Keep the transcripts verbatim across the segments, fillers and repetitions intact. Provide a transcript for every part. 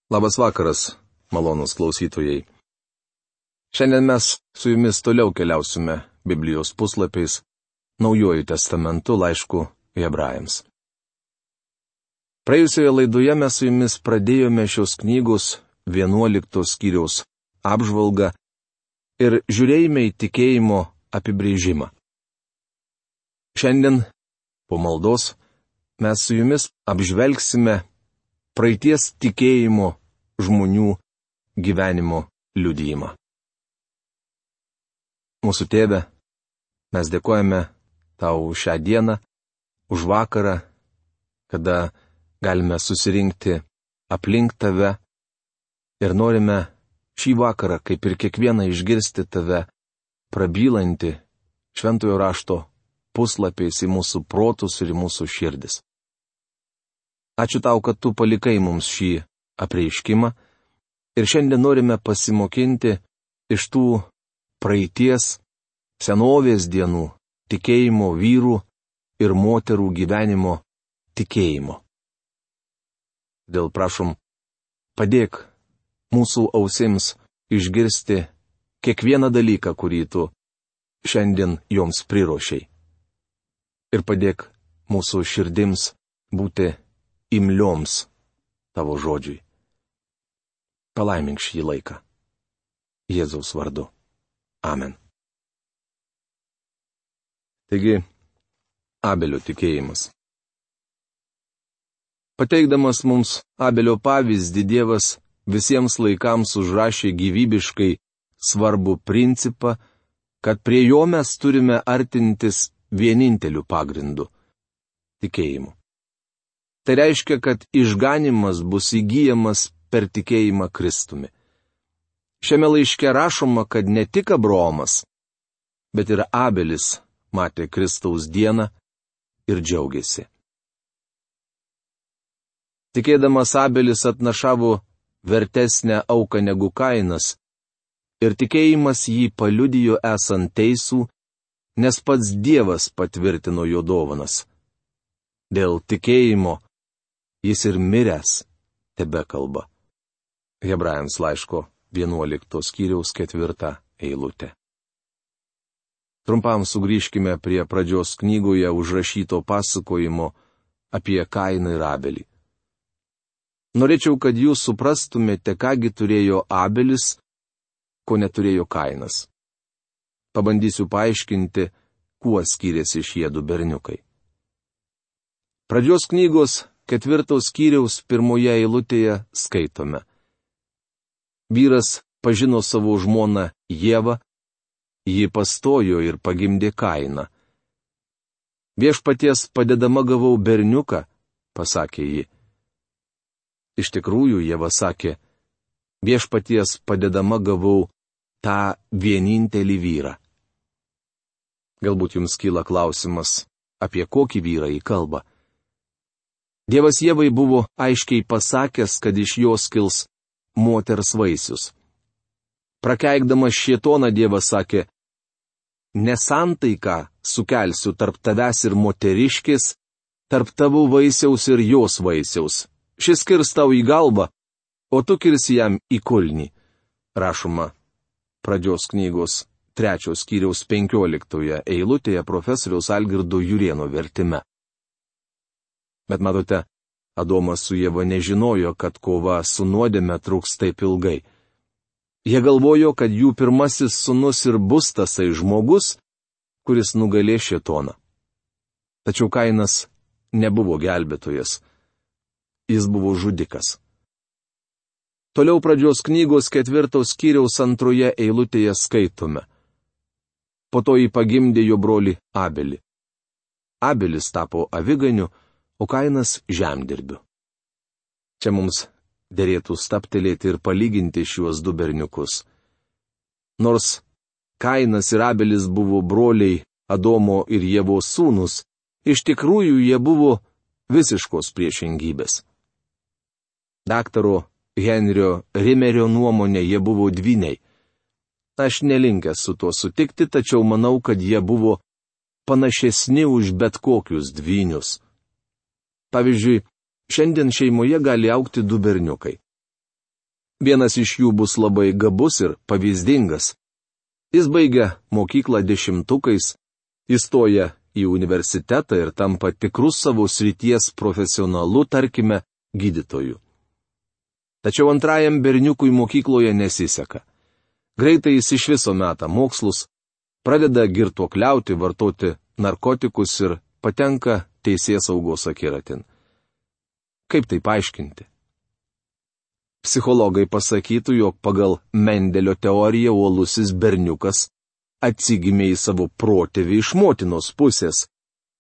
Labas vakaras, malonūs klausytojai. Šiandien mes su jumis toliau keliausime Biblijos puslapiais Naujuoju testamentu laišku Hebrajams. Praėjusioje laidoje mes su jumis pradėjome šios knygos vienuoliktos skyriaus apžvalgą ir žiūrėjome į tikėjimo apibrėžimą. Šiandien, po maldos, mes su jumis apžvelgsime praeities tikėjimo žmonių gyvenimo liudijimą. Mūsų Tėve, mes dėkojame Tau už šią dieną, už vakarą, kada galime susirinkti aplink Tave ir norime šį vakarą, kaip ir kiekvieną, išgirsti Tave prabylantį šventojo rašto puslapiais į mūsų protus ir į mūsų širdis. Ačiū Tau, kad Tu palikai mums šį apreiškimą ir šiandien norime pasimokinti iš tų praeities, senovės dienų tikėjimo vyrų ir moterų gyvenimo tikėjimo. Dėl prašom, padėk mūsų ausims išgirsti kiekvieną dalyką, kurį Tu šiandien joms priruošei. Ir padėk mūsų širdims būti imlioms Tavo žodžiui. Palaimink šį laiką. Jėzaus vardu. Amen. Taigi, Abelio tikėjimas. Pateikdamas mums Abelio pavyzdį, Dievas visiems laikams užrašė gyvybiškai svarbų principą, kad prie jo mes turime artintis vieninteliu pagrindu - tikėjimu. Tai reiškia, kad išganimas bus įgyjamas per tikėjimą Kristumi. Šiame laiške rašoma, kad ne tik Abraomas, bet ir Abelis matė Kristaus dieną ir džiaugiasi. Tikėdamas Abelis atnašavo vertesnę auką negu Kainas, ir tikėjimas jį paliudijo esant teisų, nes pats Dievas patvirtino jo dovanas. Dėl tikėjimo jis ir miręs tebekalba. Hebrajams laiško vienuoliktos skyriaus ketvirtą eilutę. Trumpam sugrįžkime prie pradžios knygoje užrašyto pasakojimo apie Kainą ir Abelį. Norėčiau, kad jūs suprastumėte, kągi turėjo Abelis, ko neturėjo Kainas. Pabandysiu paaiškinti, kuo skiriasi šie du berniukai. Pradžios knygos ketvirtos skyriaus pirmoje eilutėje skaitome. Vyras pažino savo žmoną Ievą, ji pastojo ir pagimdė Kainą. Viešpaties padedama gavau berniuką, pasakė ji. Iš tikrųjų, Ieva sakė, viešpaties padedama gavau tą vienintelį vyrą. Galbūt jums kyla klausimas, apie kokį vyrą jį kalba. Dievas Ievai buvo aiškiai pasakęs, kad iš jos kils moters vaisius. Prakeikdamas šėtoną, Dievas sakė, nesantaiką sukelsiu tarp tavęs ir moteriškės, tarp tavo vaisiaus ir jos vaisiaus. Šis kirs tau į galvą, o tu kirsi jam į kulnį. Rašoma pradžios knygos trečios skyriaus penkioliktoje eilutėje profesoriaus Algirdo Jurėno vertime. Bet matote, Adomas su Ieva nežinojo, kad kova su nuodėme truks taip ilgai. Jie galvojo, kad jų pirmasis sūnus ir bus tasai žmogus, kuris nugalės šėtoną. Tačiau Kainas nebuvo gelbėtojas. Jis buvo žudikas. Toliau pradžios knygos ketvirtos skyriaus antroje eilutėje skaitome. Po to jį pagimdė jo brolį Abelį. Abelis tapo aviganiu, o Kainas žemdirbiu. Čia mums derėtų staptelėti ir palyginti šiuos du berniukus. Nors Kainas ir Abelis buvo broliai Adomo ir Ievos sūnus, iš tikrųjų jie buvo visiškos priešingybės. Daktaro Henrio Rimerio nuomonė jie buvo dvyniai. Aš nelinkęs su tuo sutikti, tačiau manau, kad jie buvo panašesni už bet kokius dvynius. Pavyzdžiui, šiandien šeimoje gali augti du berniukai. Vienas iš jų bus labai gabus ir pavyzdingas. Jis baigia mokyklą dešimtukais, įstoja į universitetą ir tampa tikrus savo srities profesionalu, tarkime, gydytoju. Tačiau antrajam berniukui mokykloje nesiseka. Greitai jis iš viso meta mokslus, pradeda girtuokliauti, vartoti narkotikus ir patenka teisėsaugos akiratin. Kaip tai paaiškinti? Psichologai pasakytų, jog pagal Mendelio teoriją uolusis berniukas atsigimė į savo protėvį iš motinos pusės,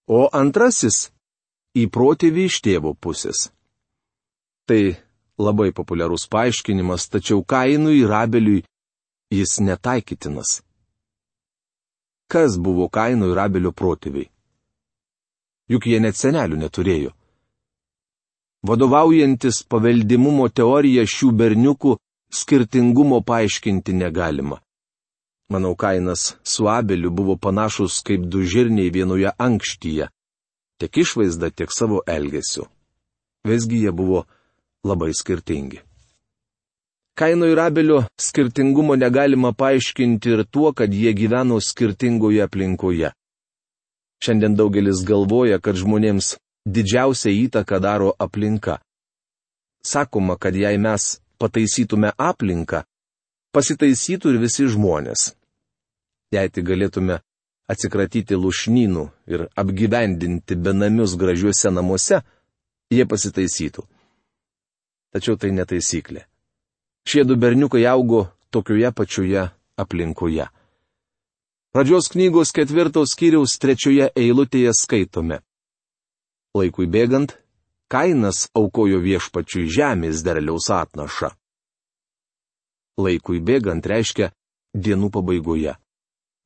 o antrasis į protėvį iš tėvo pusės. Tai labai populiarus paaiškinimas, tačiau Kainui ir Abeliui jis netaikytinas. Kas buvo Kaino ir Abelio protėviai? Juk jie net senelių neturėjo. Vadovaujantis paveldimumo teorija šių berniukų skirtingumo paaiškinti negalima. Manau, Kainas su Abeliu buvo panašus kaip du žirniai vienoje ankštyje, tiek išvaizda, tiek savo elgesiu. Visgi jie buvo labai skirtingi. Kaino ir Abelio skirtingumo negalima paaiškinti ir tuo, kad jie gyveno skirtingoje aplinkoje. Šiandien daugelis galvoja, kad žmonėms didžiausią įtaką daro aplinka. Sakoma, kad jei mes pataisytume aplinką, pasitaisytų ir visi žmonės. Jei tik galėtume atsikratyti lušnynų ir apgyvendinti benamius gražiuose namuose, jie pasitaisytų. Tačiau tai netaisyklė. Šie du berniukai augo tokioje pačioje aplinkoje. Pradžios knygos ketvirtos skyriaus trečioje eilutėje skaitome. Laikui bėgant, Kainas aukojo viešpačiui žemės derliaus atnašą. Laikui bėgant reiškia dienų pabaigoje.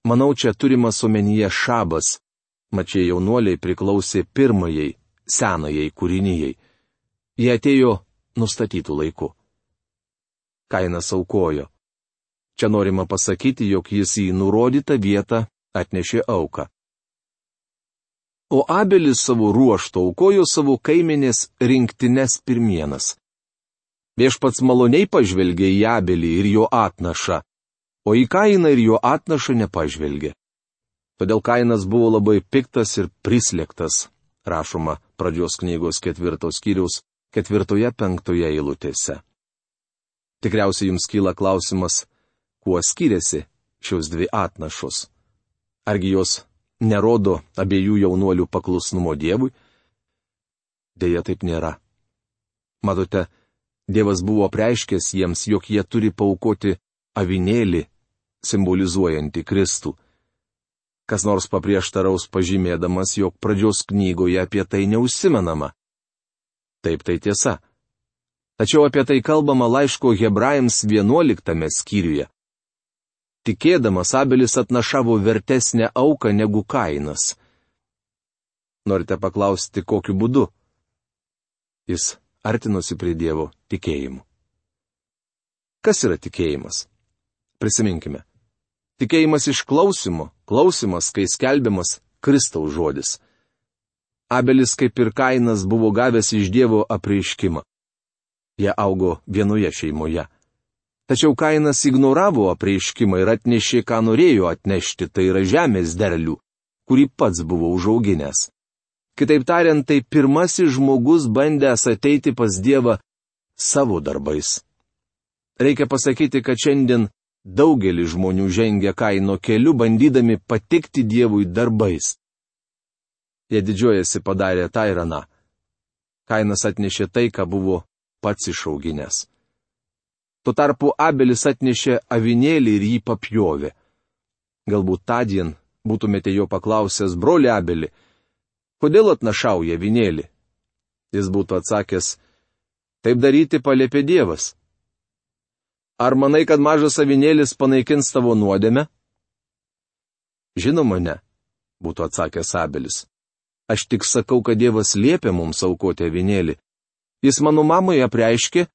Manau, čia turimas omenyje šabas, mat šie jaunuoliai priklausė pirmajai, senajai kūrinijai. Jie atėjo nustatytų laiku. Kainas aukojo. Čia norima pasakyti, jog jis į nurodytą vietą atnešė auką. O Abelis savo ruožtu aukojo savo kaimenės rinktines pirmienas. Viešpats maloniai pažvelgė į Abelį ir jo atnašą, o į Kainą ir jo atnašą nepažvelgė. Todėl Kainas buvo labai piktas ir prislėgtas, rašoma pradžios knygos ketvirtos skyriaus ketvirtoje penktoje eilutėse. Tikriausiai jums kyla klausimas, kuo skiriasi šios dvi atnašos. Argi jos nerodo abiejų jaunuolių paklusnumo Dievui? Deja, taip nėra. Matote, Dievas buvo apreiškęs jiems, jog jie turi paaukoti avinėlį, simbolizuojantį Kristų. Kas nors paprieštaraus pažymėdamas, jog pradžios knygoje apie tai neužsimenama. Taip, tai tiesa. Tačiau apie tai kalbama laiško Hebrajams vienuoliktame skyriuje. Tikėdamas Abelis atnašavo vertesnę auką negu Kainas. Norite paklausti, kokiu būdu? Jis artinosi prie Dievo tikėjimu. Kas yra tikėjimas? Prisiminkime. Tikėjimas iš klausimo, klausimas, kai skelbiamas Kristaus žodis. Abelis, kaip ir Kainas, buvo gavęs iš Dievo apreiškimą. Jie augo vienoje šeimoje. Tačiau Kainas ignoravo apreiškimą ir atnešė, ką norėjo atnešti, tai yra žemės derlių, kurį pats buvo užauginęs. Kitaip tariant, tai pirmasis žmogus bandęs ateiti pas Dievą savo darbais. Reikia pasakyti, kad šiandien daugelis žmonių žengia Kaino keliu, bandydami patikti Dievui darbais. Jie didžiuojasi padarė tą ir aną. Kainas atnešė tai, ką buvo pats išauginęs. Tuo tarpu Abelis atnešė avinėlį ir jį papjovė. Galbūt tądien būtumėte jo paklausęs, broli Abeli, kodėl atnašauja avinėlį? Jis būtų atsakęs, taip daryti paliepė Dievas. Ar manai, kad mažas avinėlis panaikins tavo nuodėmę? Žinoma, ne, būtų atsakęs Abelis. Aš tik sakau, kad Dievas liepia mums aukoti avinėlį. Jis mano mamai apreiškė,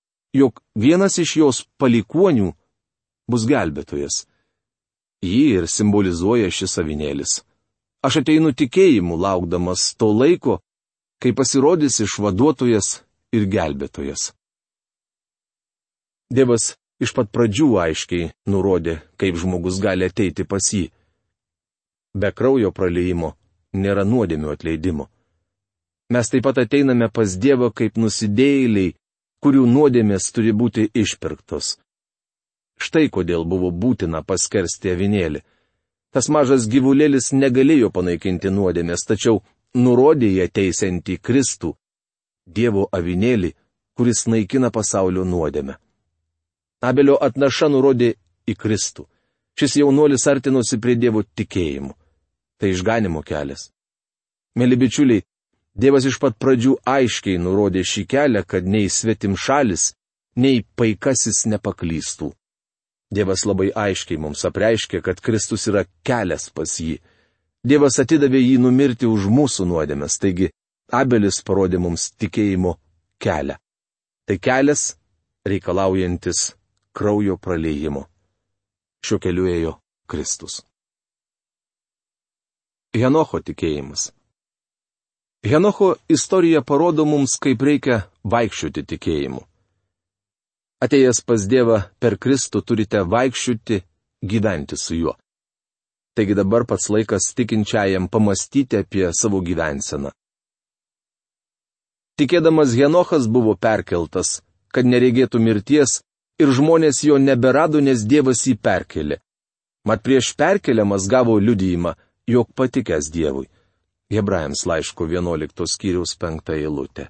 jog vienas iš jos palikuonių bus gelbėtojas. Jį ir simbolizuoja šis avinėlis. Aš ateinu tikėjimu, laukdamas to laiko, kai pasirodys išvaduotojas ir gelbėtojas. Dievas iš pat pradžių aiškiai nurodė, kaip žmogus gali ateiti pas jį. Be kraujo praliejimo nėra nuodėmių atleidimo. Mes taip pat ateiname pas Dievą kaip nusidėjėliai, kurių nuodėmės turi būti išpirktos. Štai kodėl buvo būtina paskersti avinėlį. Tas mažas gyvulėlis negalėjo panaikinti nuodėmės, tačiau nurodė ją teisiantį Kristų, Dievo avinėlį, kuris naikina pasaulio nuodėmę. Abelio atnaša nurodė į Kristų. Šis jaunuolis artinosi prie Dievo tikėjimu. Tai išganimo kelias. Mėly bičiuliai, Dievas iš pat pradžių aiškiai nurodė šį kelią, kad nei svetimšalis, nei paikasis nepaklystų. Dievas labai aiškiai mums apreiškė, kad Kristus yra kelias pas jį. Dievas atidavė jį numirti už mūsų nuodėmes, taigi Abelis parodė mums tikėjimo kelią. Tai kelias reikalaujantis kraujo praliejimo. Šiuo keliu ėjo Kristus. Henocho tikėjimas. Henocho istorija parodo mums, kaip reikia vaikščioti tikėjimu. Atėjęs pas Dievą per Kristų turite vaikščioti, gyventi su juo. Taigi dabar pats laikas tikinčiajam pamastyti apie savo gyvenseną. Tikėdamas Henochas buvo perkeltas, kad neregėtų mirties, ir žmonės jo neberado, nes Dievas jį perkelė. Mat prieš perkeliamas gavo liudijimą, jog patikęs Dievui. Hebrajams laiško vienuoliktos skyriaus penkta eilutė.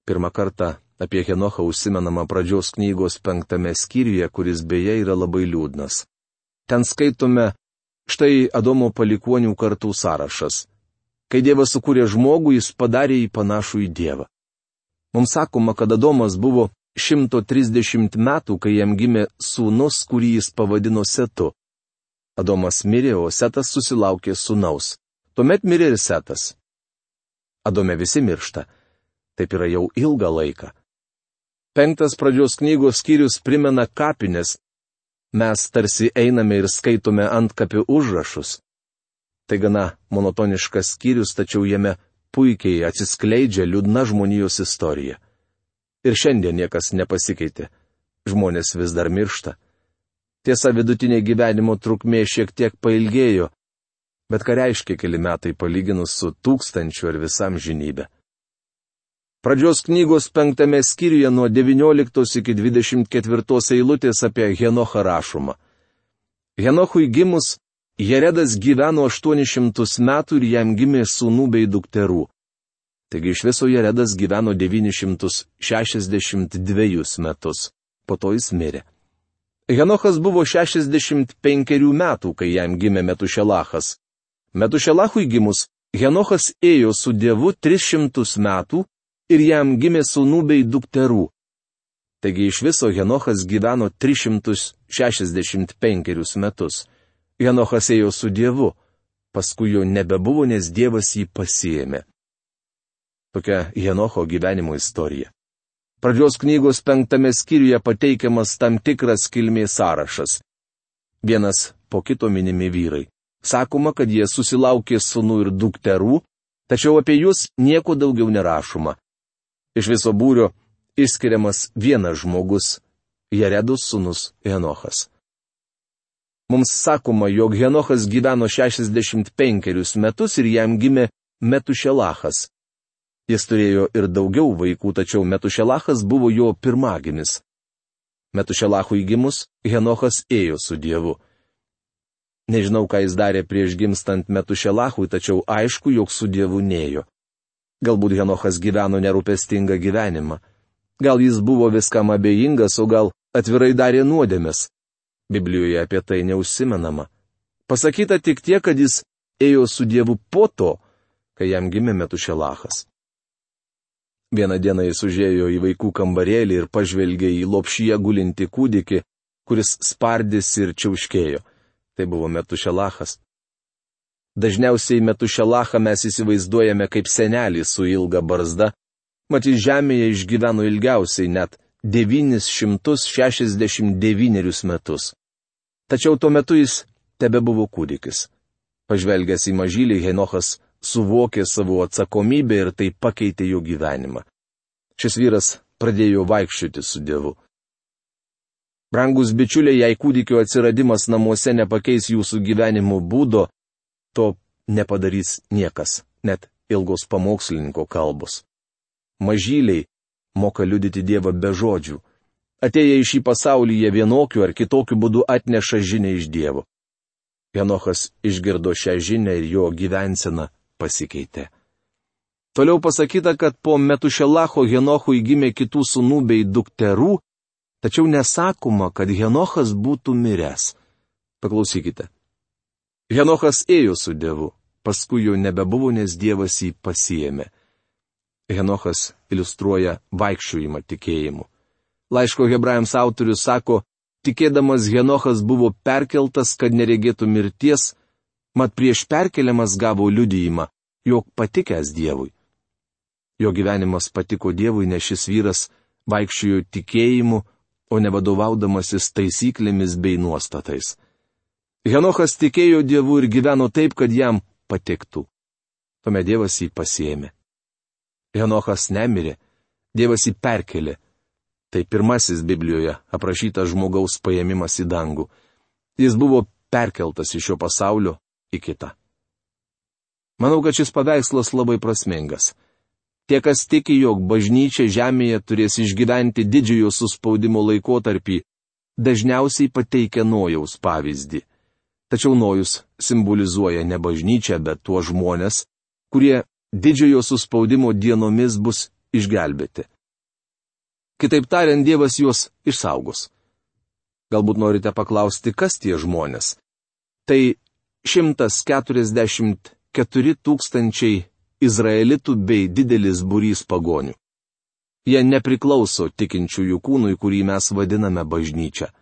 Pirmą kartą apie Henochą užsimenama pradžios knygos penktame skyriuje, kuris beje yra labai liūdnas. Ten skaitome štai Adomo palikuonių kartų sąrašas. Kai Dievas sukūrė žmogų, jis padarė jį panašų į Dievą. Mums sakoma, kad Adomas buvo šimto trisdešimt metų, kai jam gimė sūnus, kurį jis pavadino Setu. Adomas mirė, o Setas susilaukė sūnaus. Tuomet mirė ir Setas. Adome visi miršta. Taip yra jau ilgą laiką. Penktas pradžios knygos skyrius primena kapines. Mes tarsi einame ir skaitome antkapių užrašus. Tai gana monotoniškas skyrius, tačiau jame puikiai atsiskleidžia liūdna žmonijos istorija. Ir šiandien niekas nepasikeitė. Žmonės vis dar miršta. Tiesa, vidutinė gyvenimo trukmė šiek tiek pailgėjo, bet ką reiškia keli metai palyginus su tūkstančiu ar visam žinybė. Pradžios knygos penktame skyriuje nuo devynioliktos iki dvidešimt ketvirtos eilutės apie Henochą rašoma. Henochui gimus, Jeredas gyveno aštuonis šimtus metų ir jam gimė sūnų bei dukterų. Taigi iš viso Jeredas gyveno devynis šimtus šešiasdešimt dvejus metus. Po to jis mirė. Henochas buvo šešiasdešimt penkerių metų, kai jam gimė Metušelachas. Metušelachui gimus, Henochas ėjo su Dievu tris šimtus metų ir jam gimė sūnų bei dukterų. Taigi iš viso Henochas gyveno tris šimtus šešiasdešimt penkerius metus. Henochas ėjo su Dievu, paskui jo nebebuvo, nes Dievas jį pasiėmė. Tokia Henocho gyvenimo istorija. Pradžios knygos penktame skyriuje pateikiamas tam tikras kilmės sąrašas. Vienas po kito minimi vyrai. Sakoma, kad jie susilaukė sūnų ir dukterų, tačiau apie juos nieko daugiau nerašoma. Iš viso būrio išskiriamas vienas žmogus - Jeredos sūnus Henochas. Mums sakoma, jog Henochas gyveno šešiasdešimt penkerius metus ir jam gimė Metušelachas. Jis turėjo ir daugiau vaikų, tačiau Metušelachas buvo jo pirmagimis. Metušelachui gimus, Henochas ėjo su Dievu. Nežinau, ką jis darė prieš gimstant Metušelachui, tačiau aišku, jog su Dievu nėjo. Galbūt Henochas gyveno nerūpestingą gyvenimą. Gal jis buvo viskam abejingas, o gal atvirai darė nuodėmes. Biblijoje apie tai neužsimenama. Pasakyta tik tiek, kad jis ėjo su Dievu po to, kai jam gimė Metušelachas. Vieną dieną jis užėjo į vaikų kambarėlį ir pažvelgė į lopšyje gulinti kūdikį, kuris spardėsi ir čiauškėjo. Tai buvo Metušelachas. Dažniausiai Metušelachą mes įsivaizduojame kaip senelį su ilga barzda, mat jis žemėje išgyveno ilgiausiai net devynis šimtus šešiasdešimt devynerius metus. Tačiau tuo metu jis tebebuvo kūdikis. Pažvelgęs į mažylį, Henochas suvokė savo atsakomybę ir tai pakeitė jo gyvenimą. Šis vyras pradėjo vaikščioti su Dievu. Brangus bičiuliai, jei kūdikio atsiradimas namuose nepakeis jūsų gyvenimo būdo, to nepadarys niekas, net ilgos pamokslininko kalbos. Mažyliai moka liudyti Dievą be žodžių. Atėję į šį pasaulį jie vienokiu ar kitokiu būdu atneša žinią iš Dievo. Henochas išgirdo šią žinią ir jo gyvensena pasikeitė. Toliau pasakyta, kad po Metušelacho Henochui gimė kitų sūnų bei dukterų, tačiau nesakoma, kad Henochas būtų miręs. Paklausykite. Henochas ėjo su Dievu, paskui jo nebebuvo, nes Dievas jį pasiėmė. Henochas iliustruoja vaikščiojimą tikėjimu. Laiško Hebrajams autorius sako, tikėdamas Henochas buvo perkeltas, kad neregėtų mirties, mat prieš perkeliamas gavo liudijimą, jog patikęs Dievui. Jo gyvenimas patiko Dievui, nes šis vyras vaikščiojo tikėjimu, o ne vadovaudamasis taisyklėmis bei nuostatais. Henochas tikėjo Dievu ir gyveno taip, kad jam patiktų. Tuomet Dievas jį pasiėmė. Henochas nemirė, Dievas jį perkelė. Tai pirmasis Biblijoje aprašytas žmogaus paėmimas į dangų. Jis buvo perkeltas iš šio pasaulio į kitą. Manau, kad šis paveikslas labai prasmingas. Tie, kas tiki, jog bažnyčia žemėje turės išgyventi didžiojo suspaudimo laikotarpį, dažniausiai pateikia Nojaus pavyzdį. Tačiau Nojus simbolizuoja ne bažnyčią, bet tuos žmonės, kurie didžiojo suspaudimo dienomis bus išgelbėti. Kitaip tariant, Dievas juos išsaugos. Galbūt norite paklausti, kas tie žmonės? Tai šimtas keturiasdešimt keturi tūkstančiai izraelitų bei didelis būrys pagonių. Jie nepriklauso tikinčiųjų kūnui, kurį mes vadiname bažnyčia.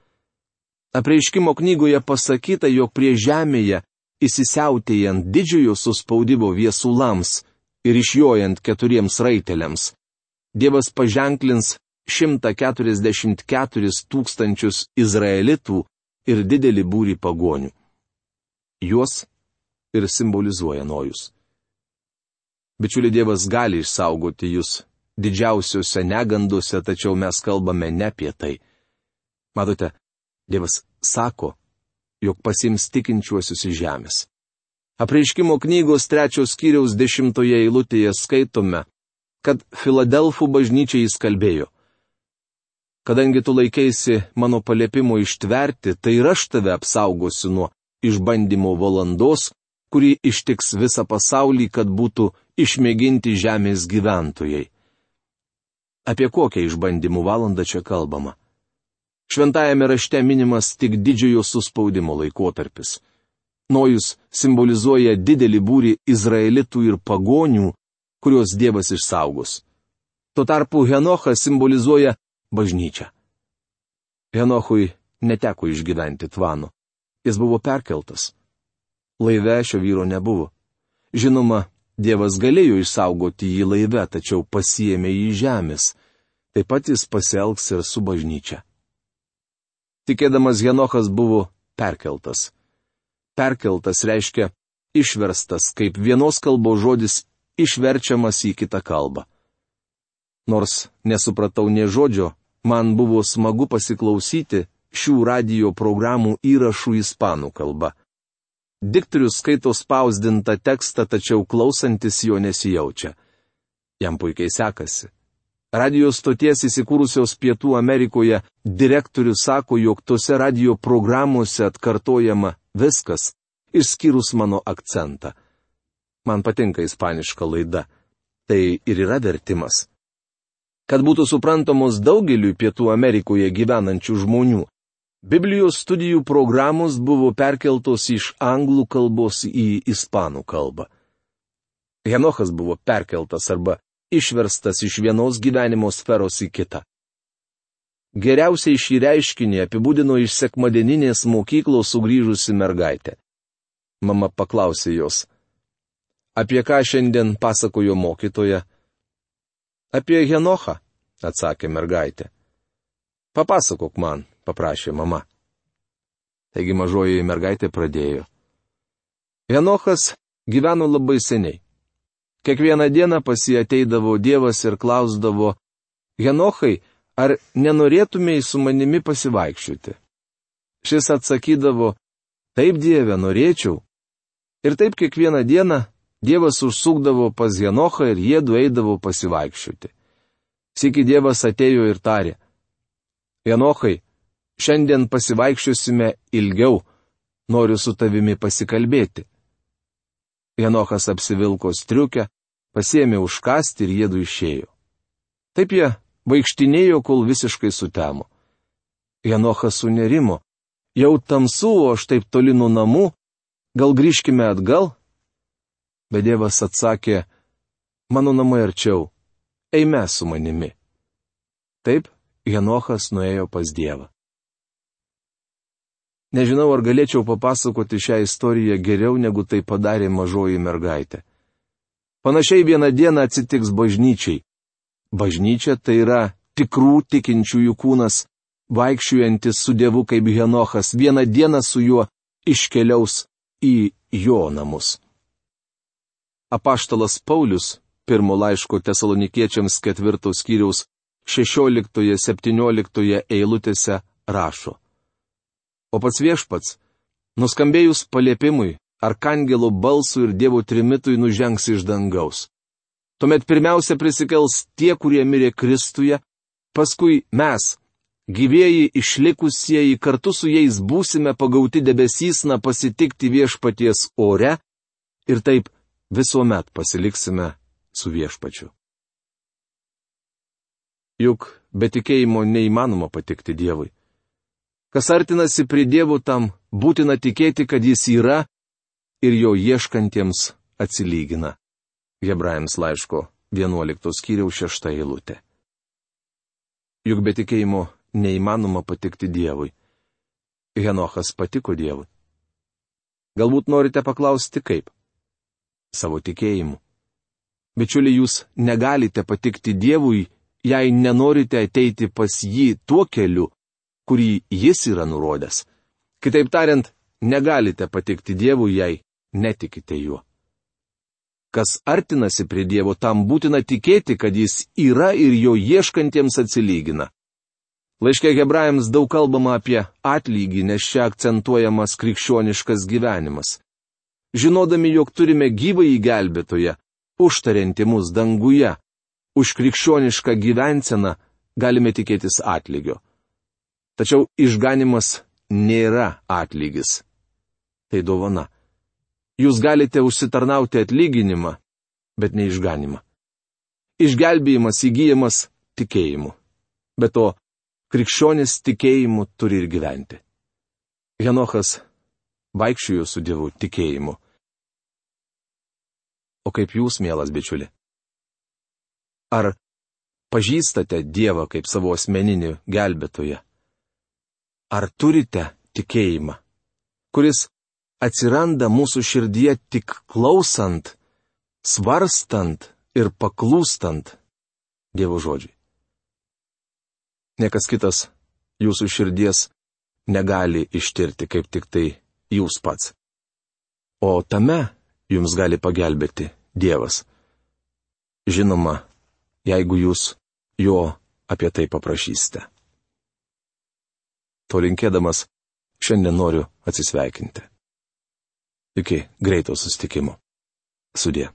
Apreiškimo knygoje pasakyta, jog prie žemėje, įsisiautėjant didžiojo suspaudimo viesulams ir išjojant keturiems raiteliams, Dievas paženklins šimtą keturiasdešimt keturis tūkstančius izraelitų ir didelį būrį pagonių. Juos ir simbolizuoja Nojus. Bičiuli, Dievas gali išsaugoti jūs didžiausiuose neganduose, tačiau mes kalbame ne apie tai. Matote, Dievas sako, jog pasiims tikinčiuosius iš žemės. Apreiškimo knygos trečios skyriaus dešimtoje eilutėje skaitome, kad Filadelfų bažnyčiai jis kalbėjo. Kadangi tu laikeisi mano paliepimo ištverti, tai ir aš tave apsaugosiu nuo išbandymo valandos, kuri ištiks visą pasaulį, kad būtų išmėginti žemės gyventojai. Apie kokią išbandymų valandą čia kalbama? Šventajame rašte minimas tik didžiojo suspaudimo laikotarpis. Nojus simbolizuoja didelį būrį izraelitų ir pagonių, kuriuos Dievas išsaugos. Tuo tarpu Henochas simbolizuoja bažnyčią. Henochui neteko išgyventi tvano. Jis buvo perkeltas. Laive šio vyro nebuvo. Žinoma, Dievas galėjo išsaugoti jį laive, tačiau pasiėmė jį žemės. Taip pat jis pasielgs ir su bažnyčia. Tikėdamas Henochas buvo perkeltas. Perkeltas reiškia išverstas, kaip vienos kalbos žodis išverčiamas į kitą kalbą. Nors nesupratau nė žodžio, man buvo smagu pasiklausyti šių radijo programų įrašų ispanų kalba. Diktorius skaito spausdintą tekstą, tačiau klausantis jo nesijaučia. Jam puikiai sekasi. Radio stoties įsikūrusios Pietų Amerikoje direktorius sako, jog tose radio programuose atkartojama viskas, išskyrus mano akcentą. Man patinka ispaniška laida. Tai ir yra vertimas. Kad būtų suprantamos daugeliui Pietų Amerikoje gyvenančių žmonių, Biblijos studijų programos buvo perkeltos iš anglų kalbos į ispanų kalbą. Henochas buvo perkeltas arba išverstas iš vienos gyvenimo sferos į kitą. Geriausiai šį reiškinį apibūdino iš sekmadieninės mokyklos sugrįžusi mergaitė. Mama paklausė jos, apie ką šiandien pasakojo mokytoja? Apie Henochą, atsakė mergaitė. Papasakok man, paprašė mama. Taigi mažoji mergaitė pradėjo. Henochas gyveno labai seniai. Kiekvieną dieną pas jį ateidavo Dievas ir klausdavo, Henochai, ar nenorėtumėjai su manimi pasivaikščioti? Šis atsakydavo, taip, Dieve, norėčiau. Ir taip kiekvieną dieną Dievas užsukdavo pas Henochą ir jiedu eidavo pasivaikščioti. Sykį Dievas atėjo ir tarė, Henochai, šiandien pasivaikščiosime ilgiau, noriu su tavimi pasikalbėti. Henochas apsivilko striukę, pasiėmė užkasti ir jiedu išėjo. Taip jie vaikštinėjo, kol visiškai sutemo. Henochas sunerimo, jau tamsu, o aš taip toli nuo namų, gal grįžkime atgal? Bet Dievas atsakė, mano namai arčiau, eime su manimi. Taip, Henochas nuėjo pas Dievą. Nežinau, ar galėčiau papasakoti šią istoriją geriau, negu tai padarė mažoji mergaitė. Panašiai vieną dieną atsitiks bažnyčiai. Bažnyčia tai yra tikrų tikinčiųjų kūnas, vaikščiojantis su Dievu kaip Henochas, vieną dieną su juo iškeliaus į jo namus. Apaštalas Paulius, pirmo laiško Tesalonikiečiams ketvirtos skyriaus šešioliktoje septynioliktoje eilutėse rašo. O pats viešpats, nuskambėjus paliepimui, arkangelo balsui ir Dievo trimitui nužengs iš dangaus. Tuomet pirmiausia prisikels tie, kurie mirė Kristuje, paskui mes, gyvieji išlikusieji, kartu su jais būsime pagauti debesysna pasitikti viešpaties ore ir taip visuomet pasiliksime su viešpačiu. Juk be tikėjimo neįmanoma patikti Dievui. Kas artinasi prie Dievo, tam būtina tikėti, kad jis yra ir jo ieškantiems atsilygina. Hebrajams laiško vienuoliktos skyriaus šešta eilutė. Juk be tikėjimo neįmanoma patikti Dievui. Henochas patiko Dievui. Galbūt norite paklausti kaip? Savo tikėjimu. Bičiuliai, jūs negalite patikti Dievui, jei nenorite ateiti pas jį tuo keliu, kurį jis yra nurodęs. Kitaip tariant, negalite patikti Dievui, jei netikite juo. Kas artinasi prie Dievo, tam būtina tikėti, kad jis yra ir jo ieškantiems atsilygina. Laiške Hebrajams daug kalbama apie atlygį, nes čia akcentuojamas krikščioniškas gyvenimas. Žinodami, jog turime gyvąjį gelbėtoją, užtariantį mus danguje, už krikščionišką gyvenseną galime tikėtis atlygio. Tačiau išganimas nėra atlygis. Tai dovana. Jūs galite užsitarnauti atlyginimą, bet ne išganimą. Išgelbėjimas įgyjamas tikėjimu. Be to, krikščionis tikėjimu turi ir gyventi. Henochas vaikščiojo su Dievu tikėjimu. O kaip jūs, mielas bičiuli? Ar pažįstate Dievą kaip savo asmeninį gelbėtoją? Ar turite tikėjimą, kuris atsiranda mūsų širdyje tik klausant, svarstant ir paklūstant Dievo žodžiui? Niekas kitas jūsų širdies negali ištirti, kaip tik tai jūs pats. O tame jums gali pagelbėti Dievas. Žinoma, jeigu jūs jo apie tai paprašysite. To linkėdamas, šiandien noriu atsisveikinti. Iki greito susitikimo. Sudie.